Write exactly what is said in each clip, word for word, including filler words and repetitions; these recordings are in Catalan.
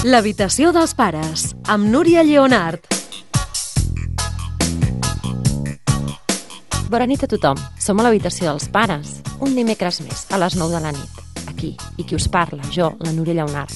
L'habitació dels pares, amb Núria Lleonard. Bona nit a tothom. Som a l'habitació dels pares. Un dimecres més, a les nou de la nit. Aquí. I qui us parla? Jo, la Núria Lleonard.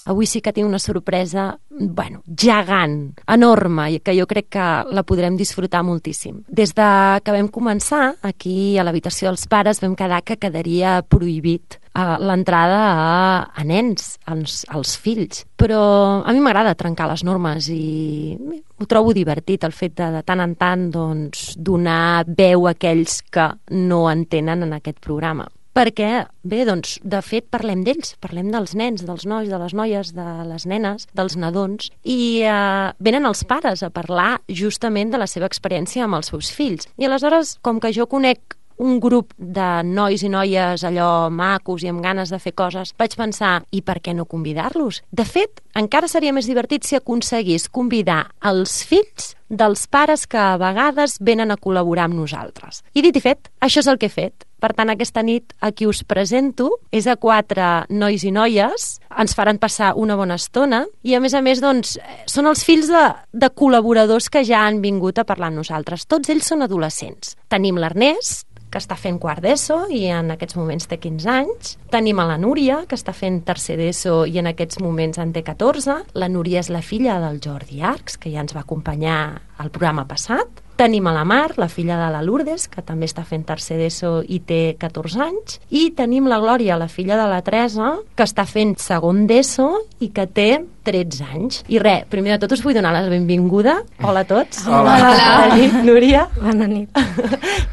Avui sí que tinc una sorpresa, bueno, gegant, enorme, i que jo crec que la podrem disfrutar moltíssim. Des de que vam començar, aquí a l'habitació dels pares, vam quedar que quedaria prohibit uh, l'entrada a, a nens, als, als fills. Però a mi m'agrada trencar les normes i ho trobo divertit, el fet de, de tant en tant doncs, donar veu a aquells que no entenen en aquest programa. Perquè, bé, doncs, de fet, parlem d'ells, parlem dels nens, dels nois, de les noies, de les nenes, dels nadons, i eh, venen els pares a parlar justament de la seva experiència amb els seus fills. I aleshores, com que jo conec un grup de nois i noies allò macos i amb ganes de fer coses, vaig pensar, i per què no convidar-los? De fet, encara seria més divertit si aconseguís convidar els fills dels pares que a vegades venen a col·laborar amb nosaltres. I dit i fet, això és el que he fet. Per tant, aquesta nit a qui us presento és a quatre nois i noies, ens faran passar una bona estona i, a més a més, doncs, són els fills de, de col·laboradors que ja han vingut a parlar amb nosaltres. Tots ells són adolescents. Tenim l'Ernest, que està fent quart d'ESO i en aquests moments té quinze anys. Tenim a la Núria, que està fent tercer d'ESO i en aquests moments en té catorze. La Núria és la filla del Jordi Arcs, que ja ens va acompanyar al programa passat. Tenim a la Mar, la filla de la Lourdes, que també està fent tercer d'ESO i té catorze anys. I tenim la Glòria, la filla de la Teresa, que està fent segon d'ESO i que té tretze anys. I res, primer de tot us vull donar la benvinguda. Hola a tots. Hola. Hola. Bona nit, Núria. Bona nit.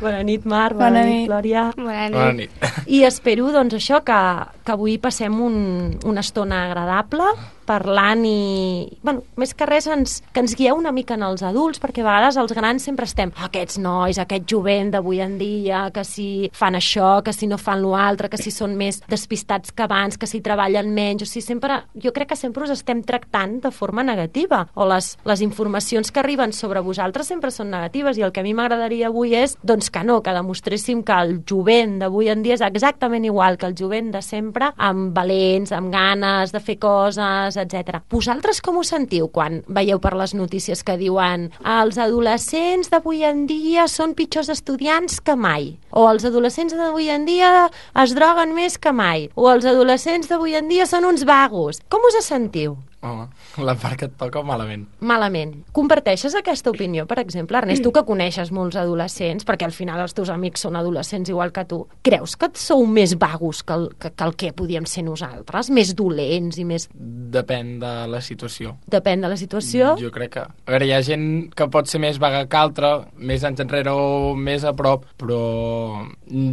Bona nit, Mar. Bona, Bona nit, nit, Glòria. Bona nit. Bona nit. I espero, doncs, això, que, que avui passem un, una estona agradable, parlant i, bueno, més que res ens, que ens guieu una mica en els adults, perquè a vegades els grans sempre estem, aquests nois, aquest jovent d'avui en dia, que si fan això, que si no fan l'altre, que si són més despistats que abans, que si treballen menys, o sigui, sempre, jo crec que sempre us estem tractant de forma negativa, o les, les informacions que arriben sobre vosaltres sempre són negatives, i el que a mi m'agradaria avui és, doncs que no, que demostréssim que el jovent d'avui en dia és exactament igual que el jovent de sempre, amb valents, amb ganes de fer coses, etcètera. Vosaltres com us sentiu quan veieu per les notícies que diuen els adolescents d'avui en dia són pitjors estudiants que mai, o els adolescents d'avui en dia es droguen més que mai, o els adolescents d'avui en dia són uns vagos? Com us sentiu? Home, la part que et toca malament. Malament. Comparteixes aquesta opinió, per exemple? Ernest, tu que coneixes molts adolescents, perquè al final els teus amics són adolescents igual que tu, creus que sou més vagos que el que, que, el que podíem ser nosaltres? Més dolents i més... Depèn de la situació. Depèn de la situació? Jo crec que... A veure, hi ha gent que pot ser més vaga que altra, més anys enrere o més a prop, però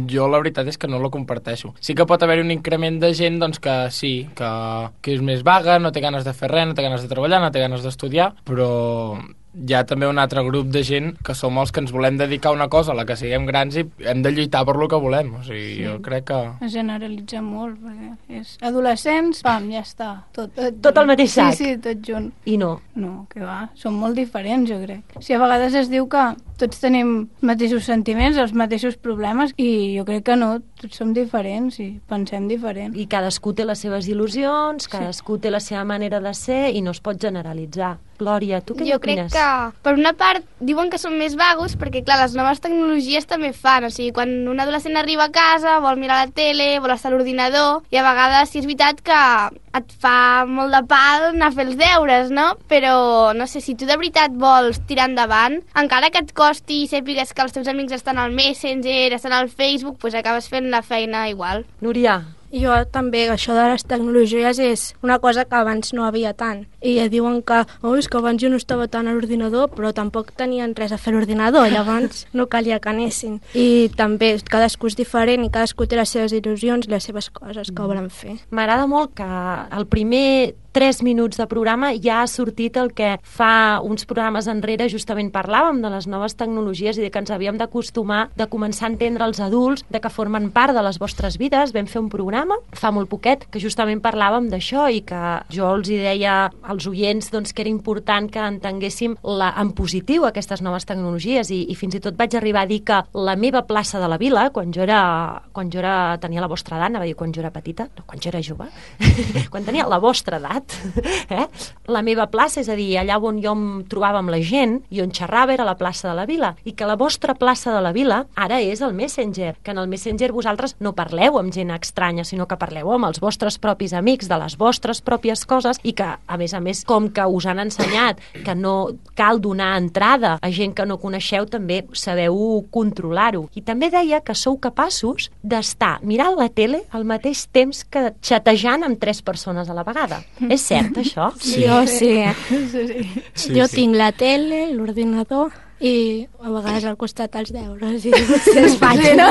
jo la veritat és que no la comparteixo. Sí que pot haver un increment de gent doncs, que sí, que, que és més vaga, no té ganes de fer res, no té ganes de treballar, no té ganes d'estudiar, però hi ha també un altre grup de gent que som els que ens volem dedicar a una cosa a la que siguem grans i hem de lluitar per lo que volem. O sigui, sí. Jo crec que... Es generalitza molt, perquè és adolescents, pam, ja està. Tot, tot, tot el mateix sac. Sí, sí, tot junt. I no? No, que va, són molt diferents, jo crec. O sigui, a vegades es diu que tots tenim els mateixos sentiments, els mateixos problemes, i jo crec que no, tots som diferents i pensem diferent. I cadascú té les seves il·lusions, cadascú sí. té la seva manera de ser i no es pot generalitzar. Glòria, tu què jo opines? Jo crec que, per una part, diuen que són més vagos perquè, clar, les noves tecnologies també fan. O sigui, quan un adolescent arriba a casa, vol mirar la tele, vol estar a l'ordinador, i a vegades sí és veritat que et fa molt de pal anar a fer els deures, no? Però, no sé, si tu de veritat vols tirar endavant, encara que et costi i sàpigues que els teus amics estan al Messenger, estan al Facebook, doncs acabes fent la feina igual. Núria? Jo també, això de les tecnologies és una cosa que abans no havia tant. I diuen que, oh, és que abans jo no estava tant a l'ordinador, però tampoc tenien res a fer a l'ordinador, llavors no calia que anessin. I també cadascú és diferent i cadascú té les seves il·lusions i les seves coses que volen fer. M'agrada molt que el primer tres minuts de programa ja ha sortit el que fa uns programes enrere justament parlàvem de les noves tecnologies i de que ens havíem d'acostumar de començar a entendre els adults, de que formen part de les vostres vides. Vam fer un programa programa fa molt poquet que justament parlàvem d'això i que jo els hi deia als oients doncs, que era important que entenguéssim la, en positiu aquestes noves tecnologies i, i fins i tot vaig arribar a dir que la meva plaça de la vila, quan jo era, quan jo era tenia la vostra edat, anava a dir quan jo era petita, no, quan jo era jove, quan tenia la vostra edat, eh? La meva plaça, és a dir, allà on jo em trobava amb la gent i on xerrava era la plaça de la vila, i que la vostra plaça de la vila ara és el Messenger, que en el Messenger vosaltres no parleu amb gent estranya, sinó que parleu amb els vostres propis amics de les vostres pròpies coses i que, a més a més, com que us han ensenyat que no cal donar entrada a gent que no coneixeu, també sabeu controlar-ho. I també deia que sou capaços d'estar mirant la tele al mateix temps que xatejant amb tres persones a la vegada. És cert, això? Sí. Jo sí. Sí, sí. Jo sí. tinc la tele, l'ordinador i a vegades al costat els deures i els faig. Sí, no?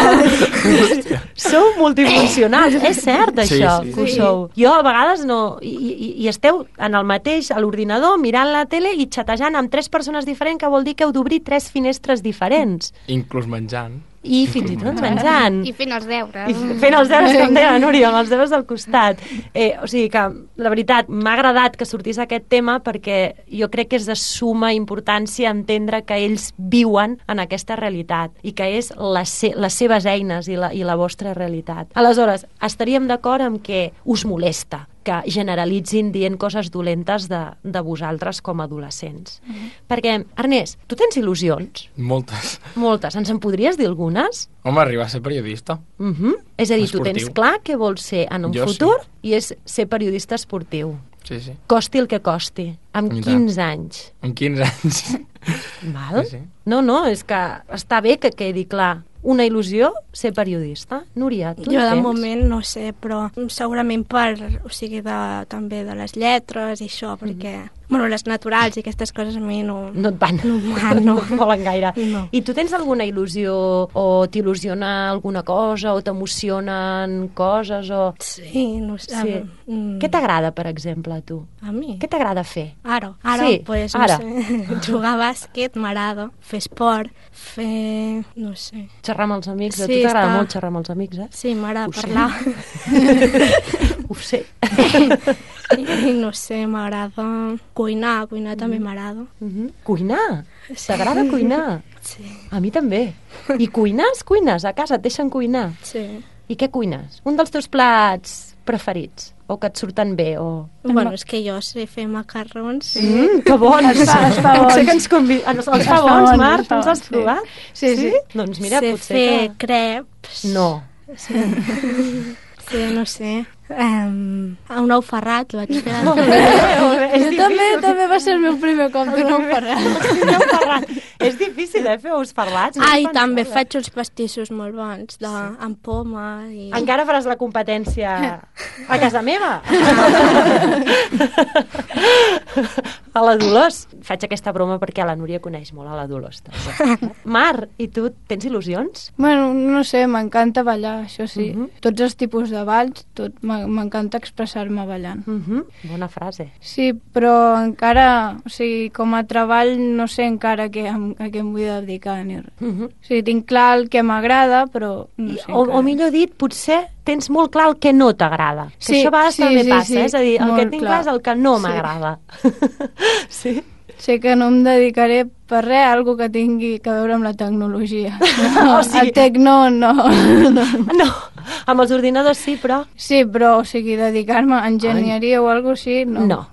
Sou multifuncionals, és cert això, Sí, sí. que ho Sí. sou. Jo a vegades no... I, i, i esteu en el mateix, a l'ordinador, mirant la tele i xatejant amb tres persones diferents, que vol dir que heu d'obrir tres finestres diferents. Inclús menjant. I fins i tot menjant. I fent els deures. I fent els deures, com deia la Núria, amb els deures al costat. Eh, o sigui que, la veritat, m'ha agradat que sortís aquest tema perquè jo crec que és de suma importància entendre que ells viuen en aquesta realitat i que és les, se les seves eines i la, i la vostra realitat. Aleshores, estaríem d'acord amb que us molesta que generalitzin dient coses dolentes de, de vosaltres com a adolescents. Mm-hmm. Perquè, Ernest, tu tens il·lusions? Moltes. Moltes. Ens en podries dir algunes? Home, arribar a ser periodista. Uh-huh. És a dir, tu Esportiu. tens clar què vols ser en un Jo futur sí. i és ser periodista esportiu. Sí, sí. Costi el que costi. Amb I tant. quinze anys. Amb quinze anys. Val? Sí, sí. No, no, és que està bé que quedi clar. Una il·lusió, ser periodista. Núria, tu Jo en de tens? moment no sé, però segurament per, o sigui, de, també de les lletres i això, perquè, bueno, les naturals i aquestes coses a mi no... No et van. No em van, no. no et volen gaire. No. I tu tens alguna il·lusió o t'il·lusiona alguna cosa o t'emocionen coses o... Sí, no sé. Sí. Mm, Què t'agrada, per exemple, a tu? A mi? Què t'agrada fer? Ara, ara, Sí, pues, no ara. sé, jugar a bàsquet m'agrada, fer esport, fer... no sé. Xerrar amb els amics? A Sí, tu t'agrada està- molt xerrar amb els amics, eh? Sí, m'agrada Ho sé. parlar. Ho sé. I no sé, m'agrada cuinar, cuinar també m'agrada. Mhm. Cuinar? T'agrada cuinar? Sí, A mi també. I cuines? Cuines? A casa et deixen cuinar? sí. I què cuines? Un dels teus plats preferits? O que et surten bé? O... Bueno, és que jo sé fer macarrons. Sí. Mm, que bons! Es fa- es fa bons. Sé que ens convi... Els, els fa Es fa bons, bons, Marc? es fa Tu els has bons, sí. provat? Sí, sí. Doncs mira, sé potser fer que... creps. No. Sí, sí no sé. Um, un ou ferrat vaig fer. Molt bé, molt bé. És Jo també, difícil. també va ser el meu primer cop de no parar. Un ou ferrat. És difícil, eh, fer ous ferrats. Ah, i No també pensava. faig uns pastissos molt bons, de, amb poma. I... Encara faràs la competència a casa meva. A la Dolors. Faig aquesta broma perquè la Núria coneix molt a la Dolors. També. Mar, i tu tens il·lusions? Bueno, no sé, m'encanta ballar, això sí. Mhm. Tots els tipus de balls, tot m'a- m'encanta expressar-me ballant. Uh -huh. Bona frase. Sí, però encara, o sigui, com a treball no sé encara què, a què em vull dedicar ni res. Uh -huh. O sigui, tinc clar el que m'agrada, però no sé o, encara. o millor dit, potser tens molt clar el que no t'agrada. Que Sí, això a vegades sí, també sí, passa, sí, eh? És a dir, el que molt tinc clar. clar és el que no Sí. m'agrada. Sí? Sé que no em dedicaré per res a algo que tingui que veure amb la tecnologia. O sigui- El tecno no. no. No, amb els ordinadors sí, però... Sí, però, o sigui, dedicar-me a enginyeria o alguna cosa així, no. No.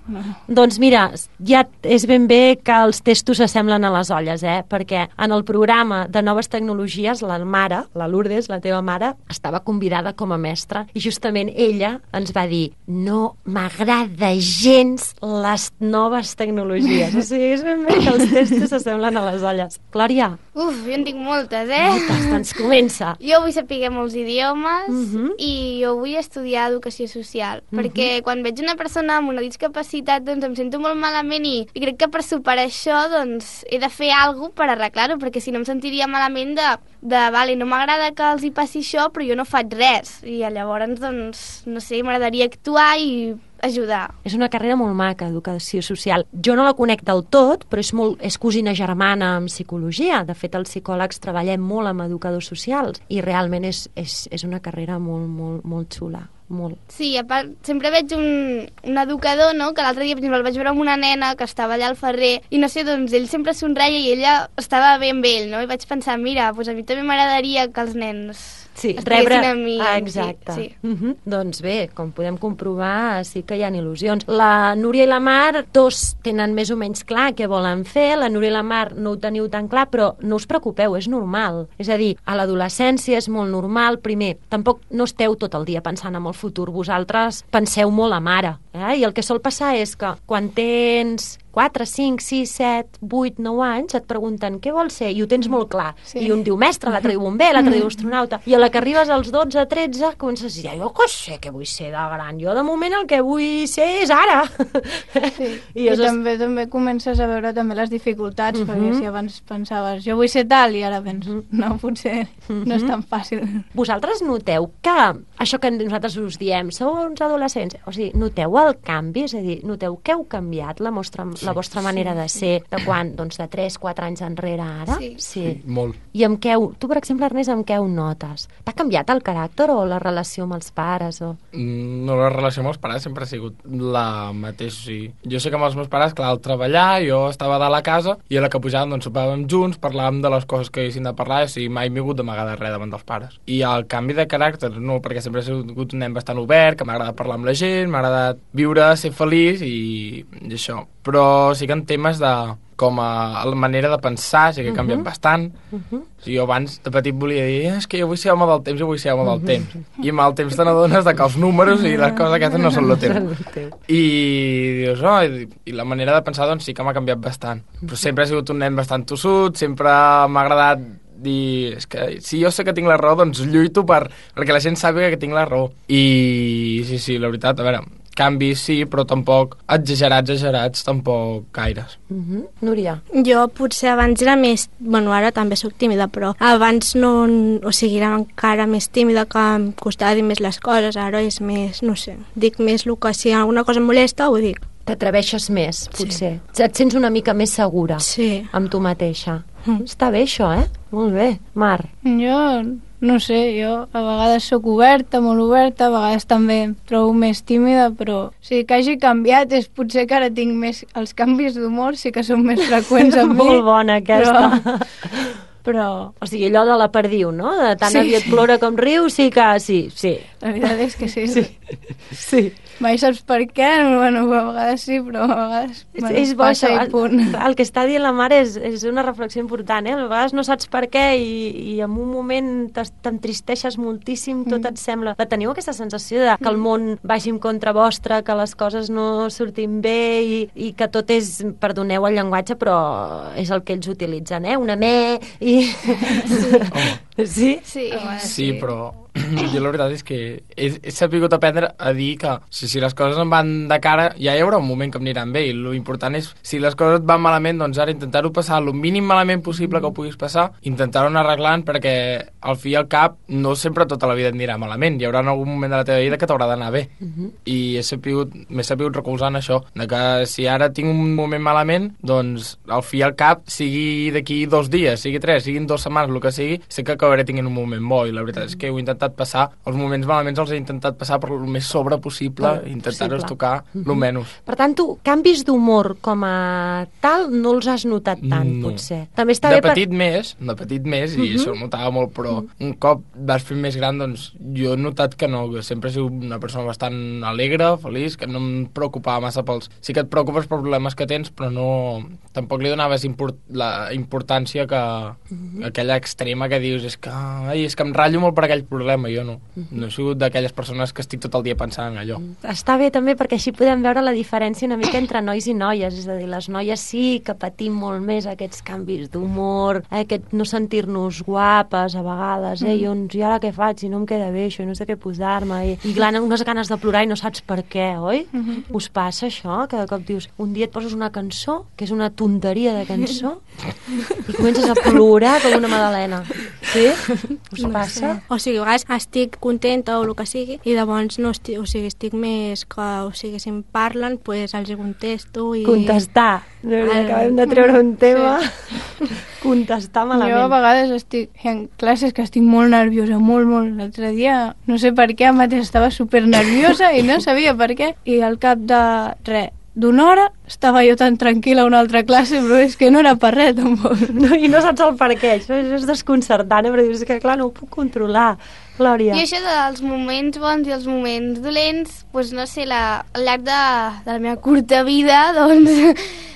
Doncs mira, ja és ben bé que els testos s'assemblen a les olles, eh? Perquè en el programa de noves tecnologies, la mare, la Lourdes, la teva mare, estava convidada com a mestra i justament ella ens va dir no m'agrada gens les noves tecnologies. O sigui, és ben bé que els testos s'assemblen a les olles. Glòria, Uf, jo en tinc moltes, eh? moltes, doncs comença. Jo vull saber molts idiomes Mhm. i jo vull estudiar educació social, perquè quan veig una persona amb una discapacitat doncs em sento molt malament i, i crec que per superar això doncs he de fer alguna cosa per arreglar-ho, perquè si no em sentiria malament de, de vale, no m'agrada que els hi passi això, però jo no faig res. I llavors, doncs, no sé, m'agradaria actuar i ajudar. És una carrera molt maca, educació social. Jo no la conec del tot, però és, molt, és cosina germana amb psicologia. De fet, els psicòlegs treballem molt amb educadors socials i realment és, és, és una carrera molt, molt, molt xula. molt. Sí, a part, sempre veig un, un educador, no?, que l'altre dia, per exemple, el vaig veure amb una nena que estava allà al Ferrer, i no sé, doncs ell sempre somreia i ella estava bé amb ell, no? I vaig pensar, mira, doncs a mi també m'agradaria que els nens Sí, estiguessin rebre... amb mi. Ah, exacte. Sí, sí. Uh -huh. Doncs bé, com podem comprovar, sí que hi ha il·lusions. La Núria i la Mar, dos tenen més o menys clar què volen fer, la Núria i la Mar no ho teniu tan clar, però no us preocupeu, és normal. És a dir, a l'adolescència és molt normal. Primer, tampoc no esteu tot el dia pensant en el futur, vosaltres penseu molt a mare, eh? I el que sol passar és que quan tens quatre, cinc, sis, set, vuit, nou anys, et pregunten què vols ser, i ho tens molt clar. Sí. I un diu mestre, l'altre diu bomber, l'altre diu astronauta. I a la que arribes als dotze, tretze, comences a dir, jo què sé què vull ser de gran, jo de moment el que vull ser és ara. Sí. I, I, I també també comences a veure també les dificultats, Mhm. perquè si abans pensaves, jo vull ser tal, i ara vens, no, potser no és tan fàcil. Vosaltres noteu que això que nosaltres us diem, sou uns adolescents, o sigui, noteu el canvi? És a dir, noteu que heu canviat la vostra, la vostra manera de ser de quan? Doncs de tres, quatre anys enrere ara? Sí. sí. Molt. I amb què ho, tu, per exemple, Ernest, amb què ho notes? T'ha canviat el caràcter o la relació amb els pares? O... Mm, No, la relació amb els pares sempre ha sigut la mateixa. O sigui, jo sé que amb els meus pares, clar, al treballar, jo estava dalt a la casa i a la que pujàvem, doncs, sopàvem junts, parlàvem de les coses que haguessin de parlar, o sigui, mai m'he hagut d'amagar de res davant dels pares. I el canvi de caràcter, no, perquè sempre he sigut un nen bastant obert, que m'ha agradat parlar amb la gent, m'ha agradat viure, ser feliç i, i això. Però sí que en temes de com a la manera de pensar sí que he canviat uh -huh. bastant. Uh -huh. O sigui, jo abans de petit volia dir és que jo vull ser home del temps, jo vull ser home del temps. I amb el temps te n'adones de que els números i les coses aquestes no són el teu. I dius, oh, i, i la manera de pensar doncs sí que m'ha canviat bastant. Però sempre he sigut un nen bastant tossut, sempre m'ha agradat dir, és que si jo sé que tinc la raó, doncs lluito per, perquè la gent sàpiga que tinc la raó. I sí, sí, la veritat, a veure, canvis sí, però tampoc exagerats, exagerats, tampoc gaires. Uh -huh. Núria? Jo potser abans era més... Bueno, ara també sóc tímida, però abans no... O sigui, era encara més tímida, que em costava dir més les coses. Ara és més, no sé, dic més el que si alguna cosa em molesta, ho dic. T'atreveixes més, potser. Sí. Et sents una mica més segura Sí. amb tu mateixa. Mm. Està bé, això, eh? Molt bé. Mar? Jo, no sé, jo a vegades sóc oberta, molt oberta, a vegades també em trobo més tímida, però o sigui, que hagi canviat és potser que ara tinc més... Els canvis d'humor sí que són més freqüents amb mi. Molt bona, aquesta. Però... però... O sigui, allò de la perdiu, no? De tant Sí. aviat plora com riu, sí que... Sí, sí. La veritat és que sí. Sí. sí. Mai saps per què, bueno, a vegades sí, però a vegades És, bueno, és bo, passa això, i punt. el, el que està dient la mare és, és una reflexió important, eh? A vegades no saps per què i, i en un moment t'entristeixes moltíssim, tot Mm. et sembla... La teniu aquesta sensació de que el món vagi en contra vostra, que les coses no surtin bé i, i que tot és, perdoneu el llenguatge, però és el que ells utilitzen, eh? Una me i... Home, Sí? Sí. sí, però jo la veritat és que he, he sabut aprendre a dir que si, si les coses em van de cara ja hi haurà un moment que em aniran bé i l'important és si les coses et van malament doncs ara intentar-ho passar el mínim malament possible que ho puguis passar, intentar-ho anar arreglant perquè al fi i al cap no sempre tota la vida et anirà malament, hi haurà algun moment de la teva vida que t'haurà d'anar bé uh -huh. i he sabut, m'he sabut recolzar en això de que si ara tinc un moment malament doncs al fi i al cap sigui d'aquí dos dies, sigui tres, siguin dues setmanes, el que sigui, sé que acabaré tenint un moment bo i la veritat és que ho he intentat passar, els moments malaments els he intentat passar per el més sobre possible Ah, i intentar-los possible. tocar Mhm. el menys. Per tant, tu, canvis d'humor com a tal no els has notat tant, No. potser. També està de bé petit més, de petit més, i Mhm. això ho notava molt, però un cop vas fer més gran, doncs jo he notat que no, que sempre he sigut una persona bastant alegre, feliç, que no em preocupava massa pels... Sí que et preocupes per problemes que tens, però no... Tampoc li donaves import... la importància que... aquella extrema que dius, és que, ai, és que em ratllo molt per aquell problema, jo no. No he sigut d'aquelles persones que estic tot el dia pensant en allò. Està bé també perquè així podem veure la diferència una mica entre nois i noies, és a dir, les noies sí que patim molt més aquests canvis d'humor, aquest no sentir-nos guapes a vegades, eh, i, on, i ara què faig, si no em queda bé això, i no sé què posar-me, i, i clar, unes ganes de plorar i no saps per què, oi? Us passa això? Que de cop dius, un dia et poses una cançó, que és una tonteria de cançó, i comences a plorar com una magdalena. Sí? Us No passa? sé. O sigui, a vegades estic contenta o el que sigui, i llavors no estic, o sigui, estic més que, o sigui, si em parlen, pues, els hi contesto i... Contestar. El... Acabem de treure un tema. Sí. Contestar malament. Jo a vegades estic en classes que estic molt nerviosa, molt, molt. L'altre dia, no sé per què, mateix estava super nerviosa i no sabia per què. I al cap de res, d'una hora, estava jo tan tranquil·la a una altra classe, però és que no era per res, tampoc. No, I no saps el per què, això és desconcertant, però dius que, clar, no ho puc controlar, Glòria. I això dels moments bons i els moments dolents, doncs no sé, la, al llarg de, de la meva curta vida, doncs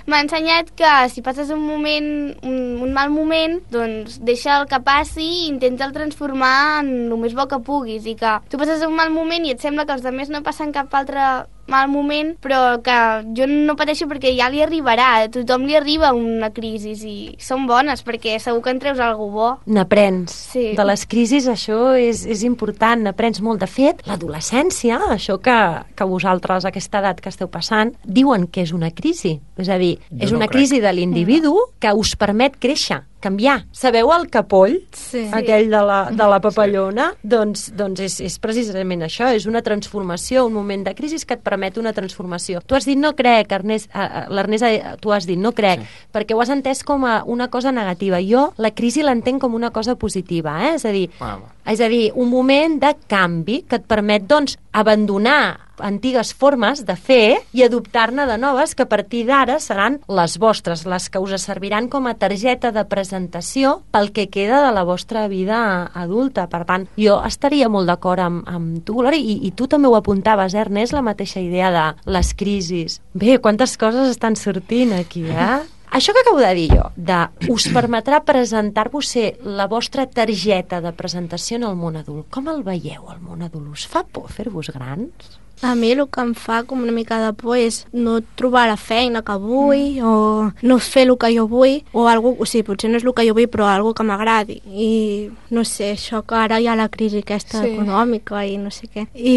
m'ha ensenyat que si passes un moment, un, un mal moment, doncs deixa el que passi i intenta el transformar en el més bo que puguis, i que tu passes un mal moment i et sembla que els altres no passen cap altre mal moment, però que jo no pateixo perquè ja li arribarà, a tothom li arriba una crisi i són bones perquè segur que en treus alguna bo. N'aprens. Sí. De les crisis això és, és important, n'aprens molt. De fet, l'adolescència, això que, que vosaltres a aquesta edat que esteu passant, diuen que és una crisi. És a dir, jo és no una crec. crisi de l'individu que us permet créixer, canviar. Sabeu el capoll? Sí. Aquell de la, de la papallona? Sí. Doncs, doncs és, és precisament això, és una transformació, un moment de crisi que et permet una transformació. Tu has dit no crec, Ernest, l'Ernest, tu has dit no crec, sí. perquè ho has entès com a una cosa negativa. Jo la crisi l'entenc com una cosa positiva, eh? és a dir, Ah, és a dir, un moment de canvi que et permet, doncs, abandonar antigues formes de fer i adoptar-ne de noves que a partir d'ara seran les vostres, les que us serviran com a targeta de presentació pel que queda de la vostra vida adulta. Per tant, jo estaria molt d'acord amb, amb tu, Glòria, i, i tu també ho apuntaves, eh, Ernest, la mateixa idea de les crisis. Bé, quantes coses estan sortint aquí, eh? Això que acabo de dir jo, de us permetrà presentar-vos ser la vostra targeta de presentació en el món adult. Com el veieu, el món adult? Us fa por fer-vos grans? A mi el que em fa com una mica de por és no trobar la feina que vull mm. o no fer el que jo vull o algo, o sigui, potser no és el que jo vull però algo que m'agradi i no sé, això que ara hi ha la crisi aquesta sí. econòmica i no sé què i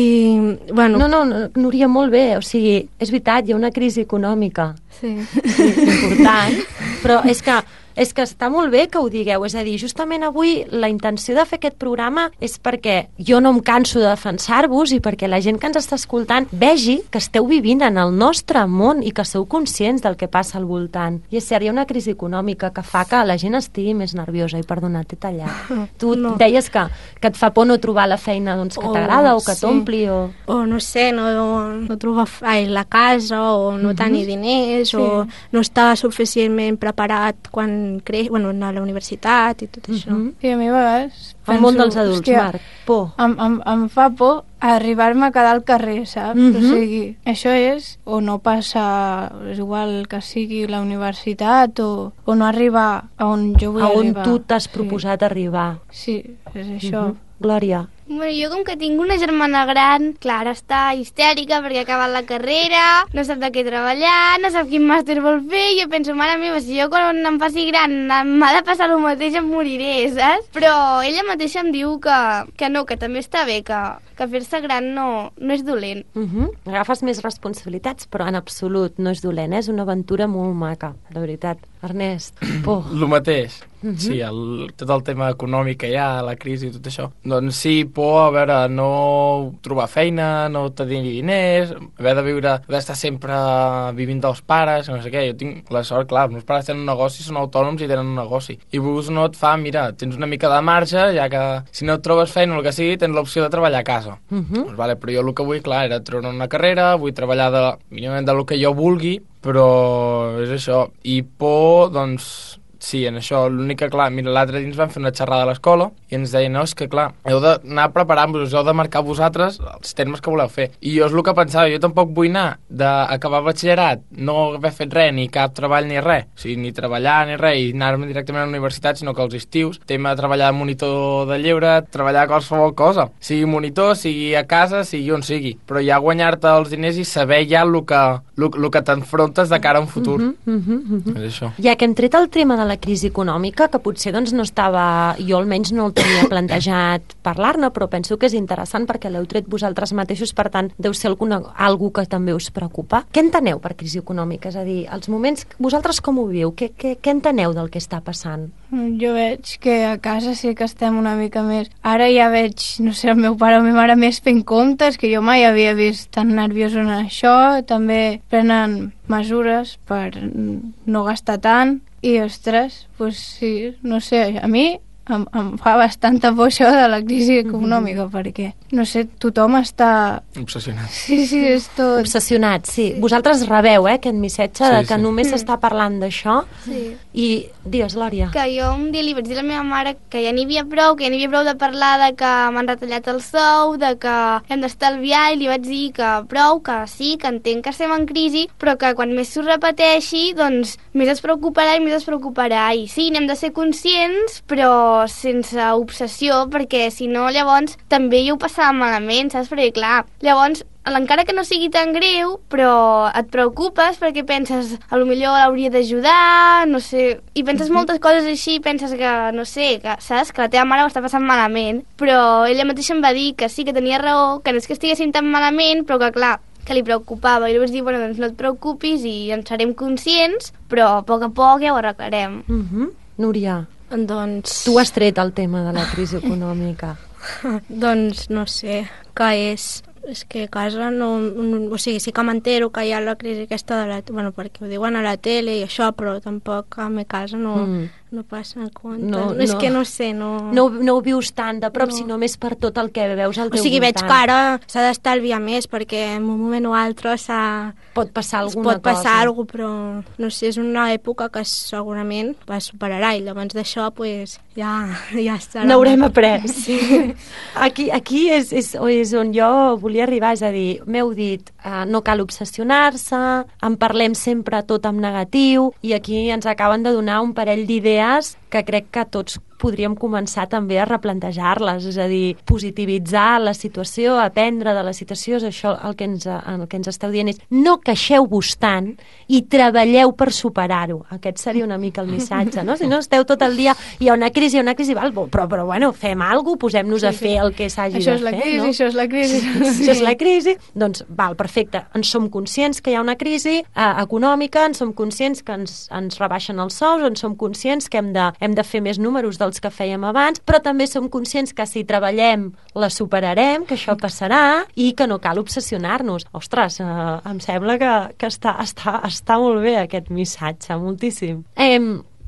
bueno... No, no, no, Núria, molt bé, o sigui, és veritat, hi ha una crisi econòmica sí. sí, important, però és que és que està molt bé que ho digueu, és a dir, justament avui la intenció de fer aquest programa és perquè jo no em canso de defensar-vos i perquè la gent que ens està escoltant vegi que esteu vivint en el nostre món i que sou conscients del que passa al voltant. I és cert, hi ha una crisi econòmica que fa que la gent estigui més nerviosa i perdona, t'he tallat. Tu no. deies que, que et fa por no trobar la feina doncs, que oh, t'agrada o que sí. t'ompli o... O no sé, no, no trobar ai, la casa o no uh -huh. tenir diners sí. o no estar suficientment preparat quan creix, bueno, anar a la universitat i tot això. Uh-huh. I a mi a vegades penso, el món dels adults, hòstia, Marc, por. Em, em, em fa por arribar-me a quedar al carrer, saps? Uh-huh. O sigui, això és o no passar, és igual que sigui la universitat o, o no arribar a on jo vull a on arribar. A on tu t'has proposat sí. arribar. Sí, és això. Uh-huh. Glòria. Bueno, jo com que tinc una germana gran, clar, està histèrica perquè ha acabat la carrera, no sap de què treballar, no sap quin màster vol fer, i jo penso, mare meva, si jo quan em faci gran m'ha de passar el mateix, em moriré, saps? Però ella mateixa em diu que, que no, que també està bé, que, que fer-se gran no, no és dolent. Uh -huh. Agafes més responsabilitats, però en absolut no és dolent, eh? És una aventura molt maca, de veritat. Ernest, por. El mateix. Uh -huh. Sí, el, tot el tema econòmic que hi ha, la crisi i tot això. Doncs sí, por, a veure, no trobar feina, no tenir diners, haver de viure, haver d'estar sempre vivint dels pares, no sé què. Jo tinc la sort, clar, els meus pares tenen un negoci, són autònoms i tenen un negoci. I vos no et fa, mira, tens una mica de marge, ja que si no et trobes feina o el que sigui, tens l'opció de treballar a casa. Uh -huh. Doncs vale, però jo el que vull, clar, era treure una carrera, vull treballar de, mínimament del que jo vulgui, però és això. I por, doncs, sí, en això, l'únic que, clar, mira, l'altre dia ens van fer una xerrada a l'escola i ens deien, no, és que, clar, heu d'anar preparant-vos, heu de marcar vosaltres els termes que voleu fer. I jo és el que pensava, jo tampoc vull anar d'acabar batxillerat, no haver fet res, ni cap treball ni res, o sigui, ni treballar ni res, i anar-me directament a la universitat, sinó que els estius, tema de treballar de monitor de lleure, treballar qualsevol cosa, sigui monitor, sigui a casa, sigui on sigui, però ja guanyar-te els diners i saber ja el que, el, el que t'enfrontes de cara a un futur. Uh -huh, uh -huh, uh -huh. És això. Ja que hem tret el tema de la crisi econòmica, que potser doncs, no estava, jo almenys no el tenia plantejat parlar-ne, però penso que és interessant perquè l'heu tret vosaltres mateixos, per tant, deu ser alguna, algú que també us preocupa. Què enteneu per crisi econòmica? És a dir, els moments, vosaltres com ho viu? Què, què, què enteneu del que està passant? Jo veig que a casa sí que estem una mica més. Ara ja veig, no sé, el meu pare o la meva mare més fent comptes, que jo mai havia vist tan nerviós en això. També prenen mesures per no gastar tant. I, ostres, doncs sí, no sé, a mi em, em fa bastanta por això de la crisi econòmica, mm-hmm. perquè, no sé, tothom està... Obsessionat. Sí, sí, és tot... Obsessionat, sí. sí. Vosaltres rebeu, eh, aquest missatge sí, de que sí. només s'està parlant d'això. Sí. I, digues, Lòria. Que jo un dia li vaig dir a la meva mare que ja n'hi havia prou, que ja n'hi havia prou de parlar de que m'han retallat el sou, de que hem d'estalviar, i li vaig dir que prou, que sí, que entenc que estem en crisi, però que quan més s'ho repeteixi, doncs més es preocuparà i més es preocuparà. I sí, n'hem de ser conscients, però sense obsessió, perquè si no, llavors també jo ho passava malament, saps? Perquè, clar, llavors encara que no sigui tan greu, però et preocupes perquè penses, a lo millor l'hauria d'ajudar, no sé, i penses mm-hmm. moltes coses així, penses que, no sé, que, saps, que la teva mare ho està passant malament, però ella mateixa em va dir que sí, que tenia raó, que no és que estiguessin tan malament, però que, clar, que li preocupava, i li vaig dir, bueno, doncs no et preocupis i en serem conscients, però a poc a poc ja ho arreglarem. Mm-hmm. Núria, doncs... tu has tret el tema de la crisi econòmica. Doncs no sé, que és... És que a casa no, no... O sigui, sí que m'entero que hi ha la crisi aquesta de la... Bueno, perquè ho diuen a la tele i això, però tampoc a mi casa no, mm. no passa en compte. No, no, és que no sé, no... No, no ho vius tant de prop, no. sinó més per tot el que veus al teu voltant. O sigui, veig que ara s'ha d'estalviar més, perquè en un moment o altre s'ha... Pot passar alguna pot passar cosa. alguna cosa, però no sé, és una època que segurament es superarà, i llavors d'això, pues, ja, ja estarà. N'haurem après. Sí. Aquí, aquí és, és, és on jo volia arribar, és a dir, m'heu dit, eh, no cal obsessionar-se, en parlem sempre tot en negatiu, i aquí ens acaben de donar un parell d'idees que crec que tots podríem començar també a replantejar-les, és a dir, positivitzar la situació, aprendre de la situació, és això el que ens, el que ens esteu dient, és no queixeu-vos tant i treballeu per superar-ho. Aquest seria una mica el missatge, no? Si no esteu tot el dia, hi ha una crisi, hi ha una crisi, val, però, però bueno, fem alguna cosa, posem-nos sí, a fer sí. el que s'hagi això de fer, crisi, no? Això és la crisi, sí. Això és la crisi. Doncs, val, perfecte, ens som conscients que hi ha una crisi eh, econòmica, ens som conscients que ens, ens rebaixen els sous, ens som conscients que hem de, hem de fer més números dels que fèiem abans, però també som conscients que si treballem la superarem, que això passarà i que no cal obsessionar-nos. Ostres, eh, em sembla que, que està, està, està molt bé aquest missatge, moltíssim. Eh,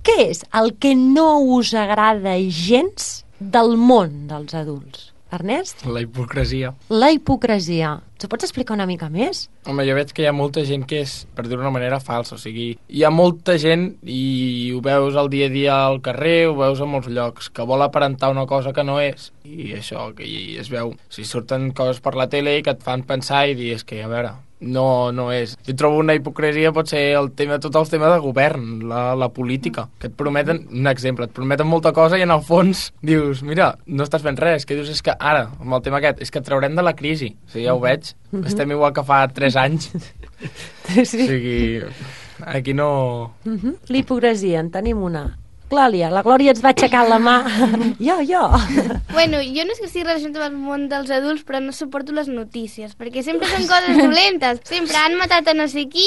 què és el que no us agrada gens del món dels adults? Ernest? La hipocresia. La hipocresia. T'ho pots explicar una mica més? Home, jo veig que hi ha molta gent que és, per dir-ho d'una manera, falsa. O sigui, hi ha molta gent, i ho veus al dia a dia al carrer, ho veus a molts llocs, que vol aparentar una cosa que no és. I això, que hi es veu. O sigui, surten coses per la tele que et fan pensar i dir, és que, a veure, no, no és. Jo trobo una hipocresia, pot ser el tema, tot el tema de govern, la, la política, que et prometen, un exemple, et prometen molta cosa i en el fons dius, mira, no estàs fent res, que dius és que ara, amb el tema aquest, és que et traurem de la crisi. O sigui, ja ho veig, mm-hmm. estem igual que fa tres anys. Sí. O sigui, aquí no... Mm-hmm. L'hipocresia, en tenim una. Glòria, la Glòria ens va aixecar la mà. Jo, jo. Bueno, jo no és que estigui relacionat amb el món dels adults, però no suporto les notícies, perquè sempre són coses dolentes. Sempre han matat a no sé qui,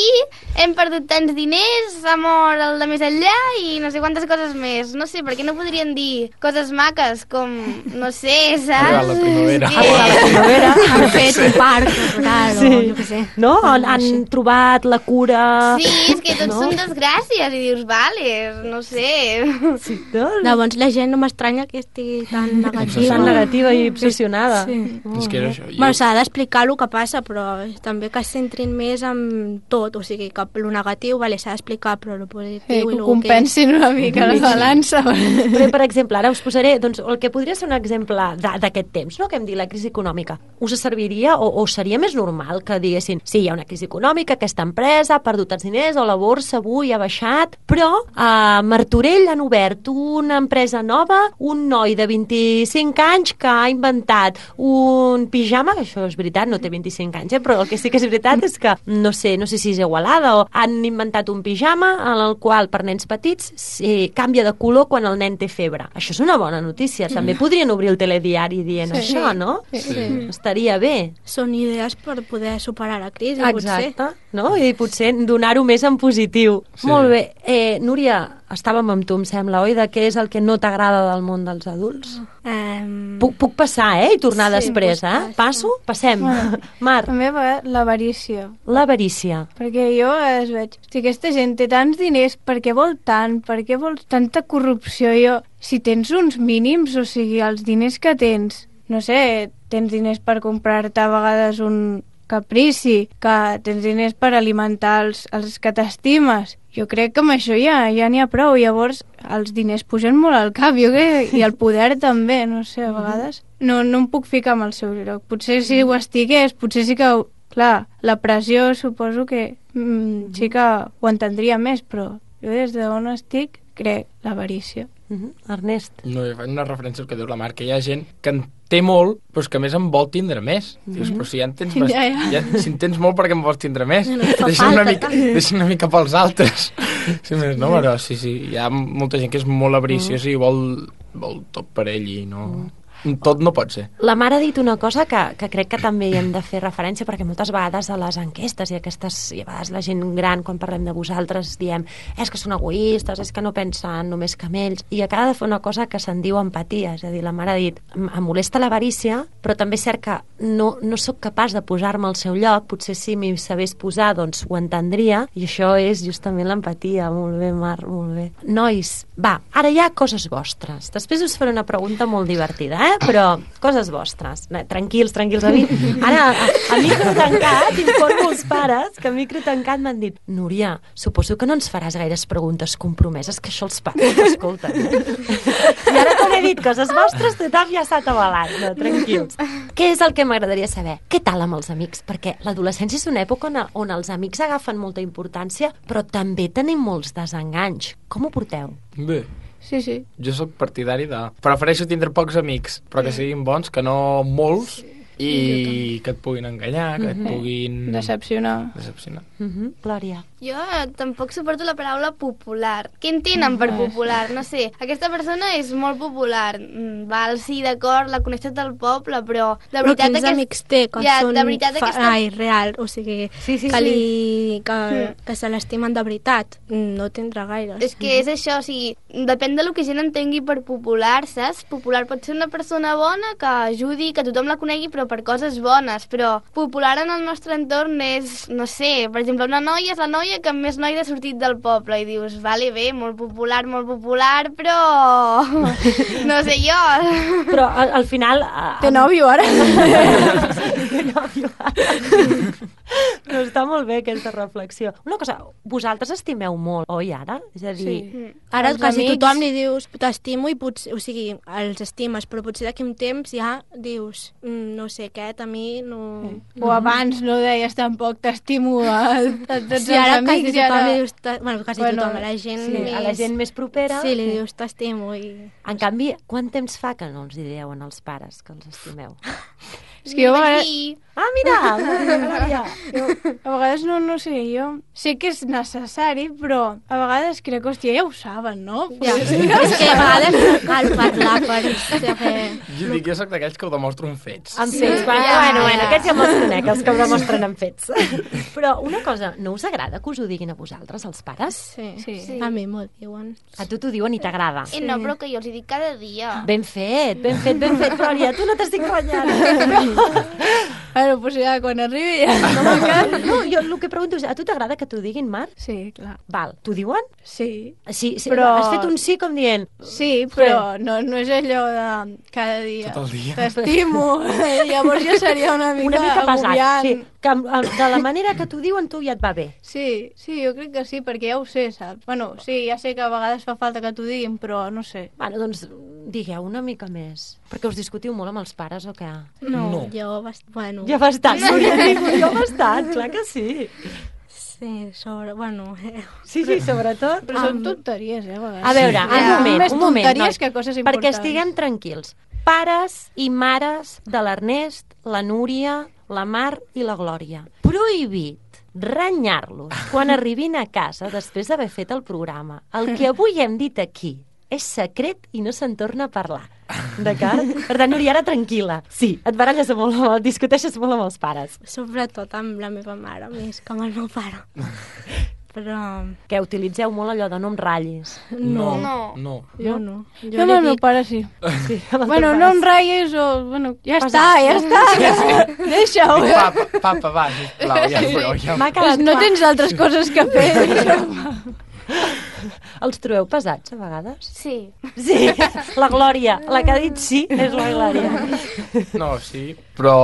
hem perdut tants diners, s'ha mort el de més enllà i no sé quantes coses més. No sé, perquè no podrien dir coses maques com, no sé, saps? Arribar la primavera. Sí. Arribar la primavera. Han fet un parc natural, sí. o jo què sé. No? Han, han trobat la cura... Sí, és que tots no? són desgràcies i dius, vale, no sé... Sí, no? Llavors la gent no m'estranya que estigui tan negativa. Tan negativa i obsessionada. Sí. Oh, és que això, jo... Bueno, s'ha d'explicar el que passa, però també que es centrin més en tot, o sigui, que el negatiu, vale, s'ha d'explicar, però el positiu... Sí, i que el ho compensin una mica la balança. Però, per exemple, ara us posaré doncs, el que podria ser un exemple d'aquest temps, no? Que hem dit la crisi econòmica. Us serviria o, o seria més normal que diguessin sí, hi ha una crisi econòmica, aquesta empresa ha perdut els diners o la borsa avui ha baixat, però a Martorell han obert una empresa nova, un noi de vint-i-cinc anys que ha inventat un pijama, això és veritat, no té vint-i-cinc anys, eh? Però el que sí que és veritat és que, no sé, no sé si és Igualada, o han inventat un pijama en el qual per nens petits sí, canvia de color quan el nen té febre. Això és una bona notícia. També podrien obrir el telediari dient sí. això, no? Sí. Sí. Estaria bé. Són idees per poder superar la crisi, Exacte, potser. no? I potser donar-ho més en positiu. Sí. Molt bé. Eh, Núria, estàvem amb tu, em sembla, oi? De què és el que no t'agrada del món dels adults? Um... Puc, puc passar, eh? I tornar Sí, després, pots eh? passar. Passo? Passem. Bueno. Mar, També va l'avarícia. l'avarícia. Perquè jo a vegades veig, hosti, aquesta gent té tants diners, per què vol tant? Per què vol tanta corrupció? Jo, si tens uns mínims, o sigui, els diners que tens, no sé, tens diners per comprar-te a vegades un caprici, que tens diners per alimentar els, els que t'estimes. Jo crec que amb això ja ja n'hi ha prou. Llavors, els diners pugen molt al cap, jo crec, i el poder també, no sé, a vegades. No, no em puc ficar en el seu lloc. Potser si ho estigués, potser sí que... Clar, la pressió suposo que mm, sí que ho entendria més, però jo des d'on estic crec l'avarícia. Uh -huh. Ernest. No, jo faig una referència al que diu la Mar, que hi ha gent que en té molt, però és que a més en vol tindre més. Mm -hmm. Dius, però si ja en tens, bast... Ja, ja. ja, si en tens molt, per què en vols tindre més? No, no fa deixa, una falta, mica, tant. deixa una mica pels altres. Sí, més, no, però sí, sí, hi ha molta gent que és molt avariciosa mm. i vol, vol tot per ell i no... Mm. Tot no pot ser. La Mar ha dit una cosa que, que crec que també hi hem de fer referència, perquè moltes vegades a les enquestes i aquestes, i a vegades la gent gran, quan parlem de vosaltres, diem és que són egoistes, és que no pensen només que en ells, i acaba de fer una cosa que se'n diu empatia, és a dir, la Mar ha dit em em molesta l'avarícia, però també és cert que no, no sóc capaç de posar-me al seu lloc, potser si m'hi sabés posar, doncs ho entendria, i això és justament l'empatia. Molt bé, Mar, molt bé. Nois, va, ara hi ha coses vostres. Després us faré una pregunta molt divertida, eh? Però coses vostres. No, tranquils, tranquils. A mi, ara, a, a micro tancat, informo els pares que a micro tancat m'han dit Núria, suposo que no ens faràs gaires preguntes compromeses, que això els pares t'escolten. Eh? I ara quan he dit coses vostres, tothom ja s'ha atabalat. No, tranquils. Què és el que m'agradaria saber? Què tal amb els amics? Perquè l'adolescència és una època on, on els amics agafen molta importància, però també tenim molts desenganys. Com ho porteu? Bé. Sí, sí. Jo sóc partidari de... Prefereixo tindre pocs amics, però que siguin bons, que no molts, i que et puguin enganyar, que et puguin... Decepcionar. Decepcionar. Uh -huh. Glòria. Jo tampoc suporto la paraula popular. Què entenen per popular? No sé, aquesta persona és molt popular. Mm, Val, sí, d'acord, la coneix tot el poble, però de Però veritat... quins aquest... amics té, que Ja, són de veritat fa... aquesta- Ai, real, o sigui, Sí, sí, que, sí. li... que, que se l'estimen de veritat. No tindrà gaires. És que és això, o sigui, depèn de lo que gent entengui per popular, saps? Popular pot ser una persona bona que ajudi, que tothom la conegui, però per coses bones, però popular en el nostre entorn és, no sé, per exemple, una noia és la noia que més noia ha sortit del poble i dius, vale, bé, molt popular, molt popular, però no sé jo. Però al, al final... a- Té nòvio ara? Té nòvio ara. No, està molt bé aquesta reflexió. Una cosa, vosaltres estimeu molt, oi, ara? És a dir, Sí. Ara Els quasi amics- tothom li dius t'estimo i potser, o sigui, els estimes, però potser d'aquí un temps ja dius mm, no sé què, a mi no... O abans no deies tampoc t'estimo a, a tots Sí, ara els quasi amics. i tothom ara... li dius... ta- Bueno, quasi Bueno, tothom, a la gent sí, més... a la gent més propera... Sí, li dius t'estimo i... En canvi, quant temps fa que no els hi diuen als pares que els estimeu? És que jo a Vaig vegades, dir, Ah, mira! Glòria. a vegades no, no sé, jo sé que és necessari, però a vegades crec que, hòstia, ja ho saben, no? Ja, és que a vegades no cal parlar per saber... Jo dic, jo soc d'aquells que ho demostro amb fets. Amb fets, bueno, Ja, bueno, ja. bueno, aquests ja me'ls conec, els que ho demostren amb fets. Però una cosa, no us agrada que us ho diguin a vosaltres, els pares? Sí, Sí. Sí. a mi m'ho diuen. A tu t'ho diuen i t'agrada. eh, no, però que jo els hi dic cada dia. Ben fet, ben fet, ben fet, Glòria, tu no t'estic guanyant. Bueno, pues ja, quan arribi ja... No, m'encanta. No, jo el que pregunto és, a tu t'agrada que t'ho diguin, Mar? Sí, clar. Val, t'ho diuen? Sí. Sí, sí, Però- has fet un sí com dient... Sí, però no, no és allò de cada dia. Tot el dia. T'estimo. Llavors ja seria una mica, Una mica pesat, agobiant. sí. Que amb- amb- de la manera que t'ho diuen tu ja et va bé. Sí, sí, jo crec que sí, perquè ja ho sé, saps? Bueno, sí, ja sé que a vegades fa falta que t'ho diguin, però no sé. Bueno, doncs digueu una mica més. Perquè us discutiu molt amb els pares o què? No, No. jo, bast... bueno... Ja bastant, no, ja dic, jo bastant, clar que sí. Sí, sobre... Bueno... Eh. Sí, sí, sobretot. Però són tonteries, eh, a vegades. A veure, Sí. un moment, Més un moment. tonteries noi, que coses perquè importants. estiguem tranquils. Pares i mares de l'Ernest, la Núria, la Mar i la Glòria. Prohibit renyar-los quan arribin a casa després d'haver fet el programa. El que avui hem dit aquí és secret i no se'n torna a parlar. D'acord? Per tant, Núria, ara tranquil·la. Sí, et baralles molt, et discuteixes molt amb els pares. Sobretot amb la meva mare, més que amb el meu pare. Però... Que utilitzeu molt allò de no em ratllis. No, No. no. Jo no. Jo Jo amb li el meu dic- pare sí. Sí, Bueno, no em ratllis o... Bueno, ja està, ja està. Deixa-ho. Dic, papa, papa, va, sisplau, ja prou, ja M'ha Pues quedat no clar. tens altres coses que fer. Els trobeu pesats, a vegades? Sí. Sí, la Glòria. La que ha dit sí és la Glòria. No, sí, però...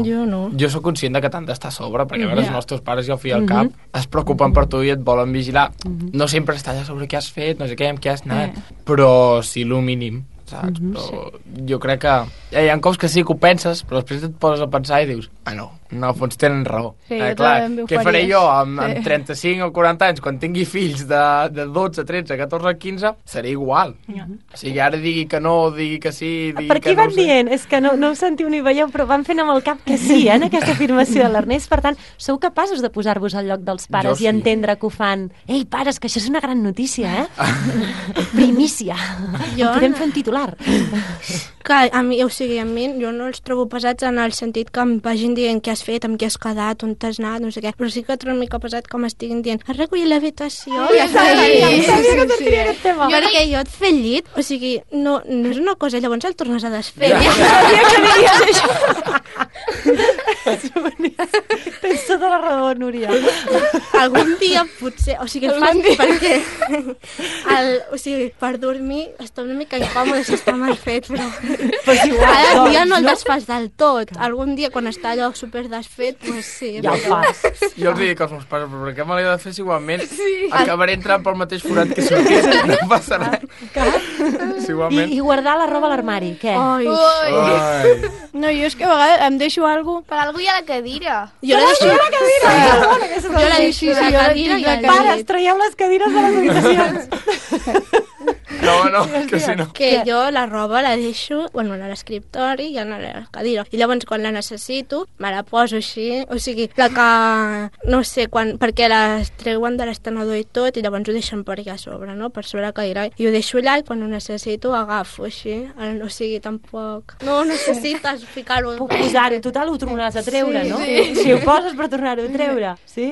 Jo no. Jo sóc conscient de que t'han d'estar a sobre, perquè a veure, Ja. els nostres pares i al fi i al cap es preocupen per tu i et volen vigilar. No sempre estàs a sobre què has fet, no sé què, amb què has anat, però sí, el mínim, saps? Però jo crec que hi ha cops que sí que ho penses, però després et poses a pensar i dius, ah, no, en el fons tenen raó. Sí, eh, jo clar, també ho què faré faries. jo amb, Sí. amb trenta-cinc o quaranta anys, quan tingui fills de, de dotze, tretze, catorze, quinze, serà igual. O sigui, ara digui que no, digui que sí, digui Per que aquí no van ho sé. dient? És que no, no ho sentiu ni veieu, però van fent amb el cap que sí, eh, en aquesta afirmació de l'Ernest. Per tant, sou capaços de posar-vos al lloc dels pares Jo sí. i entendre que ho fan. Ei, pares, que això és una gran notícia, eh? Primícia. Jo Podem no. fer un titular. Que a mi, o sigui, a mi jo no els trobo pesats en el sentit que em vagin dient què has fet, amb què has quedat, on t'has anat, no sé què, però sí que trobo una mica pesat que m'estiguin dient has recollit l'habitació, ja està sí, Sabia que sí, tindria sí. aquest tema. perquè jo et fer el llit, o sigui, no, no és una cosa, llavors el tornes a desfer. Ja. Ja sabia que deies això. Tens tota la raó, Núria. Algun dia potser, o sigui, el fan perquè el, o sigui, per dormir està una mica incòmode si està mal fet, però Pues igual, cada dia doncs, no el desfas del tot. Algun dia quan està allò super desfet, pues sí. Ja ho fas. Jo els dic als meus pares, però per què me l'he de fer si igualment sí. acabaré entrant pel mateix forat que sortís, no passa res. Si I, igualment... I guardar la roba a l'armari, què? Ai, Ui, Ai. No, jo és que a vegades em deixo alguna per algú hi ha la cadira. jo la deixo... Jo la deixo Sí, sí, a la jo la cadira tinc i la al cadira. Pares, llit. traieu les cadires de les habitacions. No, no, que si no... Que jo la roba la deixo, bueno, a l'escriptori i a la cadira. I llavors quan la necessito, me la poso així. O sigui, la que, no sé, quan, perquè les treuen de l'estenedor i tot, i llavors ho deixen per allà a sobre, no? Per sobre la cadira. I ho deixo allà i quan ho necessito agafo així. El- O sigui, tampoc... No necessites ficar-ho... Puc posar-ho, total, ho tornaràs a treure, Sí, no? sí. Si ho poses per tornar-ho a treure, sí?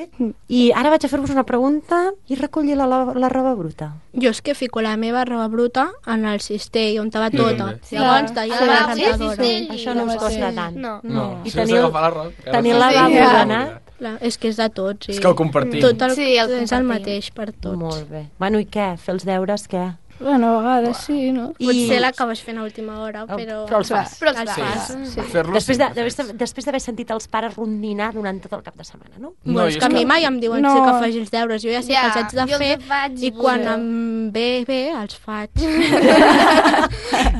I ara vaig a fer-vos una pregunta i recollir la, la, la roba bruta. Jo és que fico la meva roba bruta en el cistell, on va Jo tota. també. Llavors, Sí. d'allà Sí, a la sí, rentadora. sí, sí. Això no us costa tant. No. No, I si tenir has el- d'agafar la roba... tenir el Sí, lavabo ja. ordenat. Clar, és que és de tots. Sí. És que el compartim. Tot el, Sí, el és el compartim. mateix per tots. Molt bé. Bueno, i què? Fer els deures, què? Bueno, a vegades sí, no? I- Potser l'acabes fent a última hora, Oh, però... però els fas. Però els Els fas. fas. Sí. Fer-lo Després de- sempre d'haver fes. després d'haver sentit els pares rondinar durant tot el cap de setmana, no? No, No, i és és que a que- mi mai em diuen No. no. que faci els deures. Jo ja sé Ja, que els haig de jo els fer faig, i quan però- em ve bé, els faig.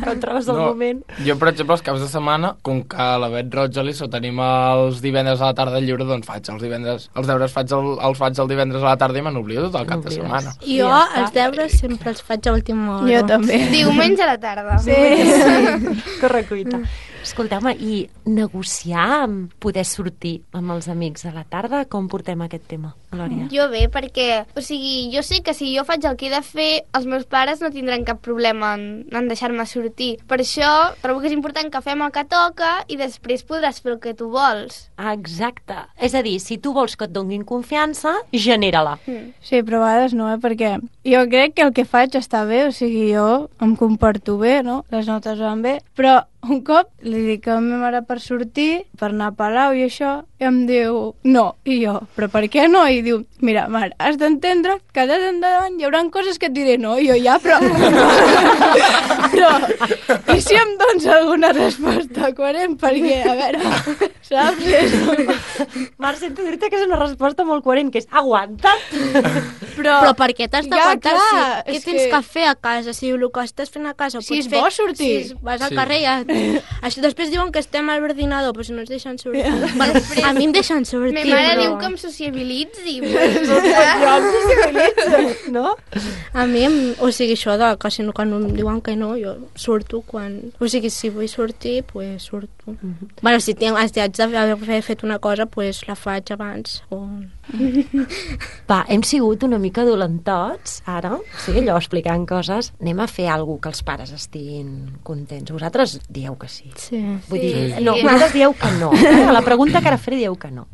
Quan trobes el No, moment. Jo, per exemple, els caps de setmana, com que a la Bet Roja ho tenim els divendres a la tarda lliure, doncs faig els divendres, els deures faig el, els faig el divendres a la tarda i me n'oblio tot el cap de N'oblides. setmana. I jo Ja està. els deures sempre els faig a última hora. Jo també. Diumenge a la tarda. Sí, sí. Correcuita. Escolteu-me, i negociar amb poder sortir amb els amics a la tarda, com portem aquest tema, Glòria? Jo bé, perquè, o sigui, jo sé que si jo faig el que he de fer, els meus pares no tindran cap problema en, en deixar-me sortir. Per això trobo que és important que fem el que toca i després podràs fer el que tu vols. Ah, exacte. És a dir, si tu vols que et donin confiança, genera-la. Sí, però a vegades no, eh? Perquè jo crec que el que faig està bé, o sigui, jo em comporto bé, no? Les notes van bé, però un cop li dic a la meva mare per sortir, per anar a Palau i això, i em diu no, i jo, però per què no? I diu, mira, mare, has d'entendre que de endavant hi haurà coses que et diré no, i jo ja, però... però, i si em dones alguna resposta coherent? Perquè, a veure, saps? És... Marc, sento dir-te que és una resposta molt coherent, que és aguanta't. Però, Però per què t'has Ja, d'aguantar? clar, Si, què és tens que- que... fer a casa? Si el que estàs fent a casa ho Si pots és fer... bo sortir. Si vas al Sí. carrer ja... Això, després diuen que estem al ordinador, però si no ens deixen sortir... Bueno, a mi em deixen sortir, Ma mare però... diu que em sociabilitzi dir. No? A mi, em- o sigui, això de que si no, quan em diuen que no, jo surto quan... O sigui, si vull sortir, pues surto. Bueno, si tinc, si haig d'haver fet una cosa, pues la faig abans. O... Va, hem sigut una mica dolentots, ara, sí, allò explicant coses. Anem a fer alguna que els pares estiguin contents. Vosaltres dieu que sí. Sí. Vull dir, Sí. no, vosaltres dieu que no. Eh? A la pregunta que ara faré dieu que no.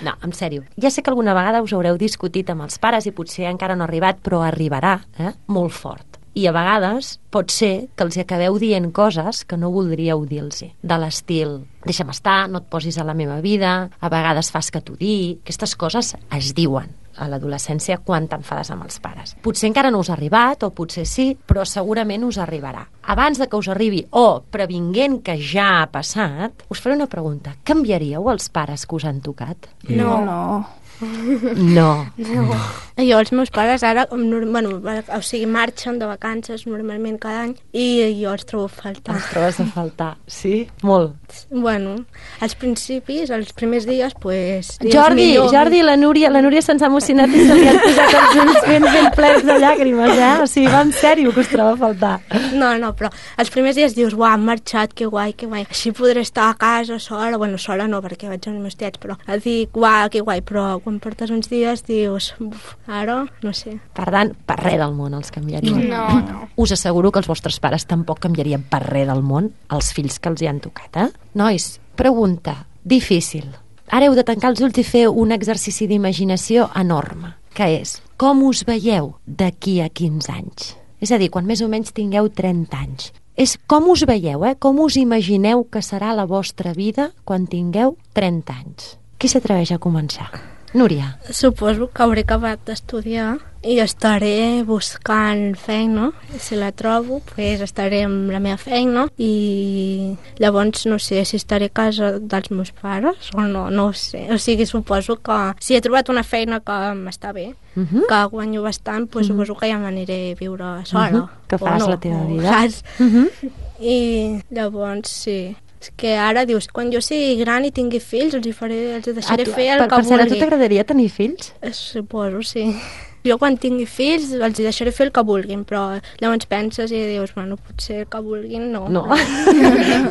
No, en sèrio. Ja sé que alguna vegada us haureu discutit amb els pares i potser encara no ha arribat, però arribarà, eh? Molt fort. I a vegades pot ser que els acabeu dient coses que no voldríeu dir-los. De l'estil, deixa'm estar, no et posis a la meva vida, a vegades fas que t'ho digui. Aquestes coses es diuen a l'adolescència quan t'enfades amb els pares. Potser encara no us ha arribat, o potser sí, però segurament us arribarà. Abans de que us arribi, o previnguent que ja ha passat, us faré una pregunta. Canviaríeu els pares que us han tocat? No, no. No. No. Jo, els meus pares ara, bueno, o sigui, marxen de vacances normalment cada any i jo els trobo a faltar. Els trobes a faltar, sí? Molt. Bueno, als principis, els primers dies, pues... dius, Jordi, millor- Jordi, la Núria, la Núria se'ns ha emocionat i se li han posat els ulls ben, ben plens de llàgrimes, eh? O sigui, va en sèrio que us troba a faltar. No, no, però els primers dies dius, uau, han marxat, que guai, que guai. Així podré estar a casa sola, bueno, sola no, perquè vaig amb els meus tiets, però dic, uau, que guai, però quan portes uns dies dius, uf, ara, no sé. Per tant, per res del món els canviarien. No, no. Us asseguro que els vostres pares tampoc canviarien per res del món els fills que els hi han tocat, eh? Nois, pregunta difícil. Ara heu de tancar els ulls i fer un exercici d'imaginació enorme, que és, com us veieu d'aquí a quinze anys? És a dir, quan més o menys tingueu trenta anys. És com us veieu, eh? Com us imagineu que serà la vostra vida quan tingueu trenta anys? Qui s'atreveix a començar? Núria. Suposo que hauré acabat d'estudiar i estaré buscant feina. Si la trobo, pues estaré amb la meva feina i llavors no sé si estaré a casa dels meus pares o no, no ho sé. O sigui, suposo que si he trobat una feina que m'està bé, Uh -huh. que guanyo bastant, pues suposo que ja m'aniré a viure sola. Uh -huh. Que faràs o no, la teva o vida. Saps? Uh -huh. I llavors, sí. És que ara dius, quan jo sigui gran i tingui fills, els hi faré, els hi deixaré tu- fer el per, que per cert, a tu vulgui. t'agradaria tenir fills? Eh, Suposo, sí. Jo quan tingui fills els hi deixaré fer el que vulguin, però llavors penses i dius, bueno, potser el que vulguin no. No.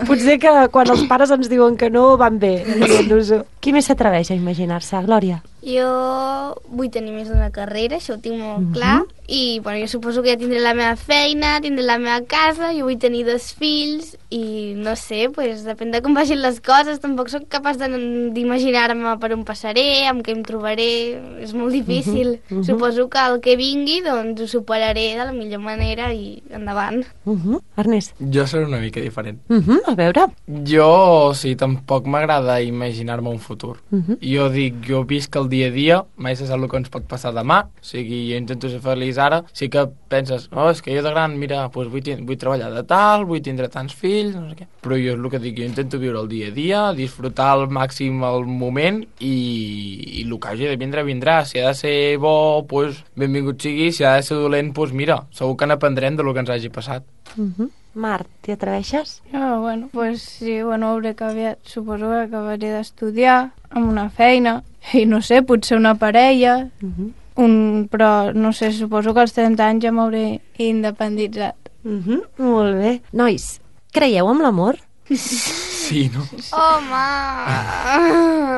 Potser que quan els pares ens diuen que no, van bé. dient-nos-ho. Qui més s'atreveix a imaginar-se? Glòria? Jo vull tenir més d'una carrera, això ho tinc molt clar, i bueno, jo suposo que ja tindré la meva feina, tindré la meva casa, jo vull tenir dos fills, i no sé, pues, depèn de com vagin les coses, tampoc sóc capaç de- d'imaginar-me per on passaré, amb què em trobaré, és molt difícil. uh-huh. Suposo que el que vingui, doncs ho superaré de la millor manera i endavant. Uh -huh. Ernest? Jo seré una mica diferent. Uh -huh. A veure. Jo, sí, tampoc m'agrada imaginar-me un futur. Uh -huh. Jo dic, jo visc el dia a dia, mai se sap el que ens pot passar demà, o sigui, jo intento ser feliç ara, sí que penses, oh, és que jo de gran, mira, doncs vull, vull treballar de tal, vull tindre tants fills, no sé què. Però jo és el que dic, jo intento viure el dia a dia, disfrutar al màxim el moment i, i el que hagi de vindre, vindrà. Si ha de ser bo, doncs benvingut sigui, si ha de ser dolent, doncs mira, segur que n'aprendrem de lo que ens hagi passat. Uh -huh. Marc, t'hi atreveixes? Ah, bueno, pues sí, bueno, hauré acabat, suposo que acabaré d'estudiar amb una feina i no sé, potser una parella, Uh -huh. un, però no sé, suposo que als trenta anys ja m'hauré independitzat. Uh -huh. Molt bé. Nois, creieu en l'amor? Sí, no? Home,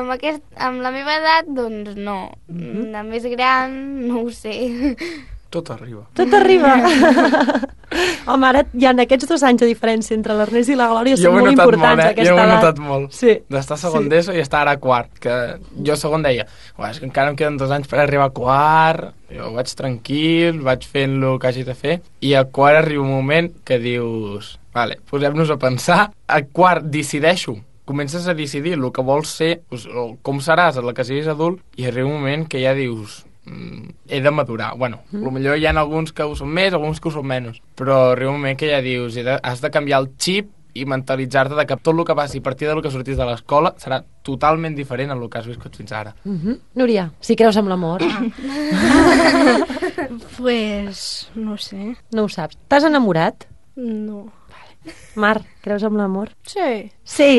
amb, aquest, amb la meva edat, doncs no. De més gran, no ho sé. Tot arriba. Tot arriba. Home, ara hi ha aquests dos anys de diferència entre l'Ernest i la Glòria, Jo són ho he molt notat importants molt, eh? aquesta Jo ho he edat. notat molt. Sí. D'estar a segon Sí. d'ESO i estar ara a quart. Que jo a segon deia, "Uah, és que encara em queden dos anys per arribar a quart, jo vaig tranquil, vaig fent el que hagi de fer, i a quart arriba un moment que dius, vale, posem-nos a pensar, a quart decideixo, comences a decidir el que vols ser, o com seràs a la que siguis adult, i arriba un moment que ja dius, mm, he de madurar. Bueno, mm. potser hi ha alguns que ho són més, alguns que ho són menys, però arriba un moment que ja dius, he de, has de canviar el xip i mentalitzar-te de que tot el que passi a partir del que sortís de l'escola serà totalment diferent a el que has viscut fins ara. Uh -huh. Núria, si creus en l'amor, Pues, no sé, no ho saps. T'has enamorat? no. Mar, creus en l'amor? Sí. Sí,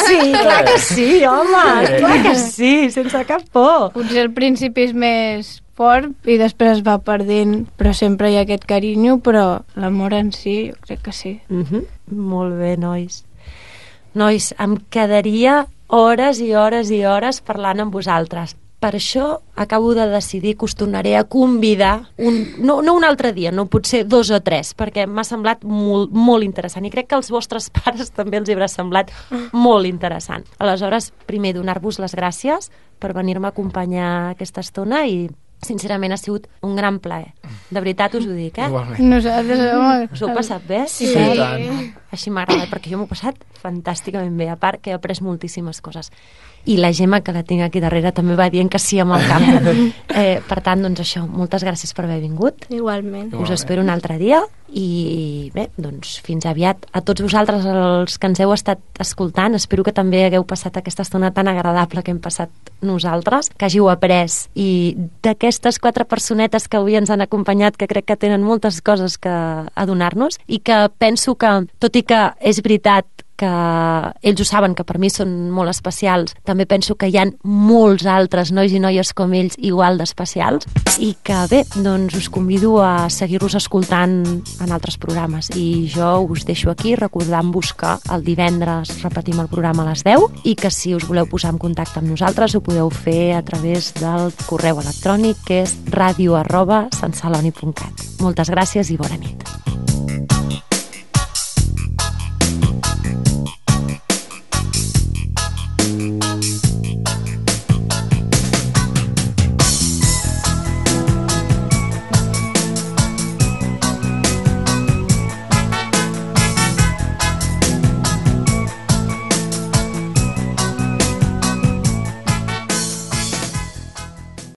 sí, clar que sí, home, clar que sí, sense cap por. Potser al principi és més fort i després es va perdent, però sempre hi ha aquest carinyo, però l'amor en si, jo crec que sí. Mm-hmm. Molt bé, nois. Nois, em quedaria hores i hores i hores parlant amb vosaltres. Per això acabo de decidir que us tornaré a convidar, un, no, no un altre dia, no potser dos o tres, perquè m'ha semblat molt, molt interessant i crec que als vostres pares també els hi haurà semblat molt interessant. Aleshores, primer, donar-vos les gràcies per venir-me a acompanyar aquesta estona i sincerament ha sigut un gran plaer. De veritat us ho dic, eh? Igualment. Nosaltres, home... Us ho heu passat bé? Sí. Sí, tant. Així m'ha agradat, perquè jo m'ho he passat fantàsticament bé, a part que he après moltíssimes coses. I la Gemma, que la tinc aquí darrere, també va dient que sí amb el cap. Eh, per tant, doncs això, moltes gràcies per haver vingut. Igualment. Us espero un altre dia i bé, doncs fins aviat. A tots vosaltres, els que ens heu estat escoltant, espero que també hagueu passat aquesta estona tan agradable que hem passat nosaltres, que hàgiu après i d'aquestes quatre personetes que avui ens han acompanyat, que crec que tenen moltes coses que a donar-nos i que penso que, tot i que és veritat que ells ho saben, que per mi són molt especials, també penso que hi ha molts altres nois i noies com ells igual d'especials i que bé, doncs us convido a seguir-los escoltant en altres programes i jo us deixo aquí recordant-vos que el divendres repetim el programa a les deu i que si us voleu posar en contacte amb nosaltres ho podeu fer a través del correu electrònic que és radio arroba santceloni punt cat. Moltes gràcies i bona nit.